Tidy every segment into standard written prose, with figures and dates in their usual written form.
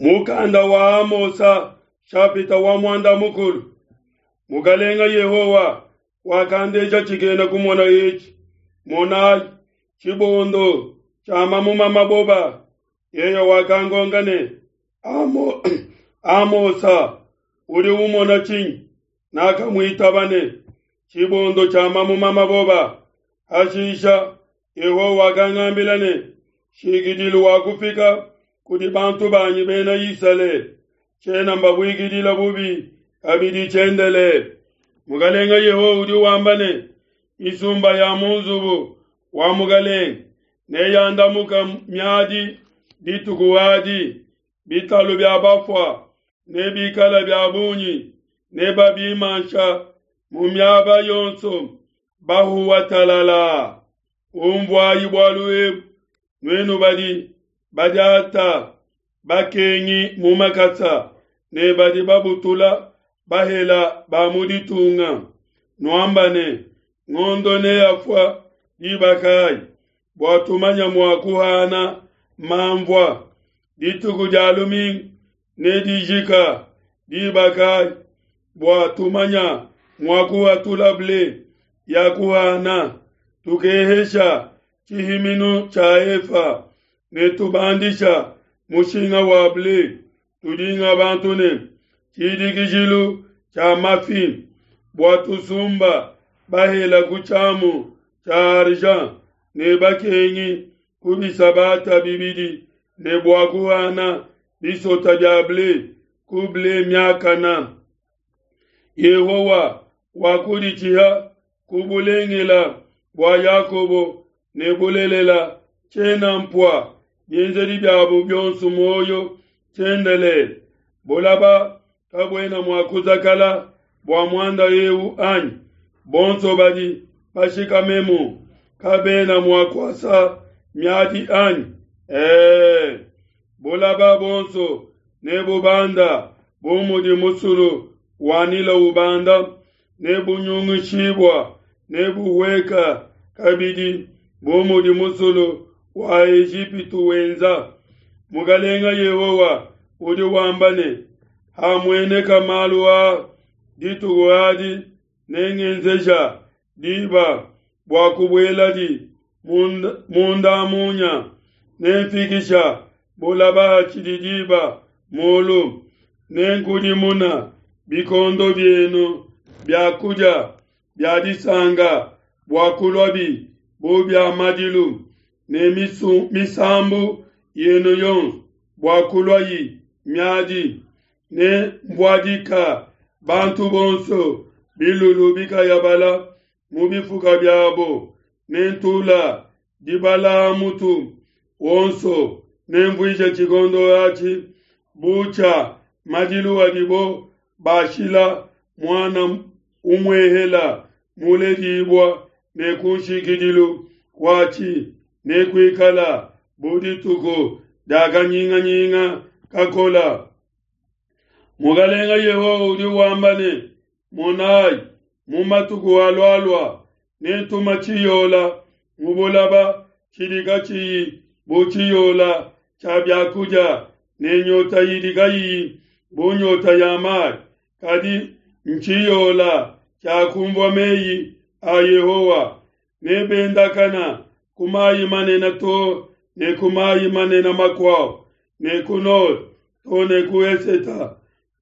Mukanda wa Amosa shapita wa muanda mukulu. Mukalenga Yehowa wakandeja tshikena kumona etshi. Monayi, tshibondo tshia mamuma maboba. Yeye wakankonka ne, Amo, Amosa, udi umona tshinyi? Nakamuitaba ne, Tshibondo tshia mamuma maboba. Hashisha Yehowa wakangambila ne, Nshikidilu wakufika kudi bantu banyi bena Isalele, tshiena mbabuikidila bubi kabidi tshiendelele. Mukalenga Yehowa udi wamba ne, Misumba ya mu nzubu wa mukalenge neyandamuka miadi dituku adi, bitalu bia bafua nebikale bia bungi, nebabimansha mu miaba yonso bahuwa talalaa. Umvuayi bualu ebu, nuenu badi badiata bakengi mu makasa ne badi babutula bahela ba mu ditunga, nuamba ne, Ngondo neafua diba kayi, bua tumanya mua kuhana manvua? Dituku dia lumingu nedijika diba kayi, bua tumanya mua kuhatula ble ya kuhana? Tukehesha tshihiminu tshia efa ne tubandisha mushinga wa ble, tudinga bantu ne tshidikijilu tshia mafi, bua tusumba bahela ku tshiamu tshia argent ne bakengi ku bisabata bibidi, ne bua kuhana bisota bia ble ku ble miakana. Yehowa wakuditshiha ku bulengela bua Yakobo ne bulelela tshiena mpua bienzedi biabo bionso muoyo tshiendelele. Bulaba kabuena mua kuzakala bua muanda eu anyi? Bonso badi bashikamemu kabena mua kuasa miadi anyi? Ee, bulaba bonso nebubanda bu mudi musulu wa Nile ubanda, nebunyungishibua, nebuhueka kabidi bu mudi musulu wa Ejipitu wenza. Mukalenga Yehowa udi wamba ne, Hamueneka malu aa dituku adi, nengenzeja diba bua kubueladi munda munya, nemfikisha bulaba hatshidi diba mulu, nenkudimuna bikondo bienu bia kudia bia disanka bua kuluabi bu bia madilu, ne misambu yenu yonso bua kuluayi miadi. Ne mvuadika bantu bonso bilulu bikayabala mu bifuka biabo, ne ntula dibala ha mutu wonso, nemvuije tshikondo atshi bu tshia madilu adibo bashila muana umuehela muledibua, ne ku nshikidilu kuatshi nekuikala bu dituku dia kanyinganyinga kakola. Mukalenga Yehowa udi wamba ne, Monayi, mu matuku alualua nentuma tshiyola mu bulaba tshidi katshiyi bu tshiyola tshia biakudia, ne nyota idi kayiyi bu nyota ya mayi, kadi ntshiyola tshia kumvua meyi a Yehowa. Nebendakana ku mayi manene too ne ku mayi manene makuabu, ne ku nord too ne ku eseta.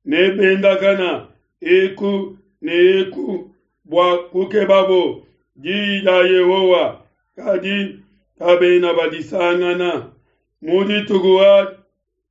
Nebendakana eku ne eku bua kukebabo diyi dia Yehowa, kadi kabena badisangana. Mu dituku adi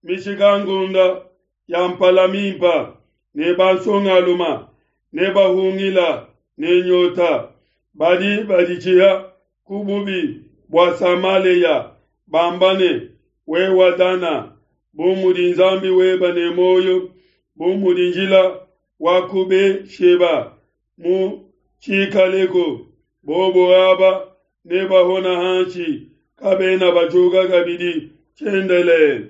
mishikankunda ya mpala mimpa ne bansongaluma nebahungila ne nyota. Badi baditshiha ku bubi bua Samalea, bamba ne, Wewa Dana, bu mudi Nzambi weba ne muoyo, bu mudi njila wa ku Be-sheba mu tshikaleko, bobo aba nebahona hanshi, kabena bajuka kabidi tshiendelele.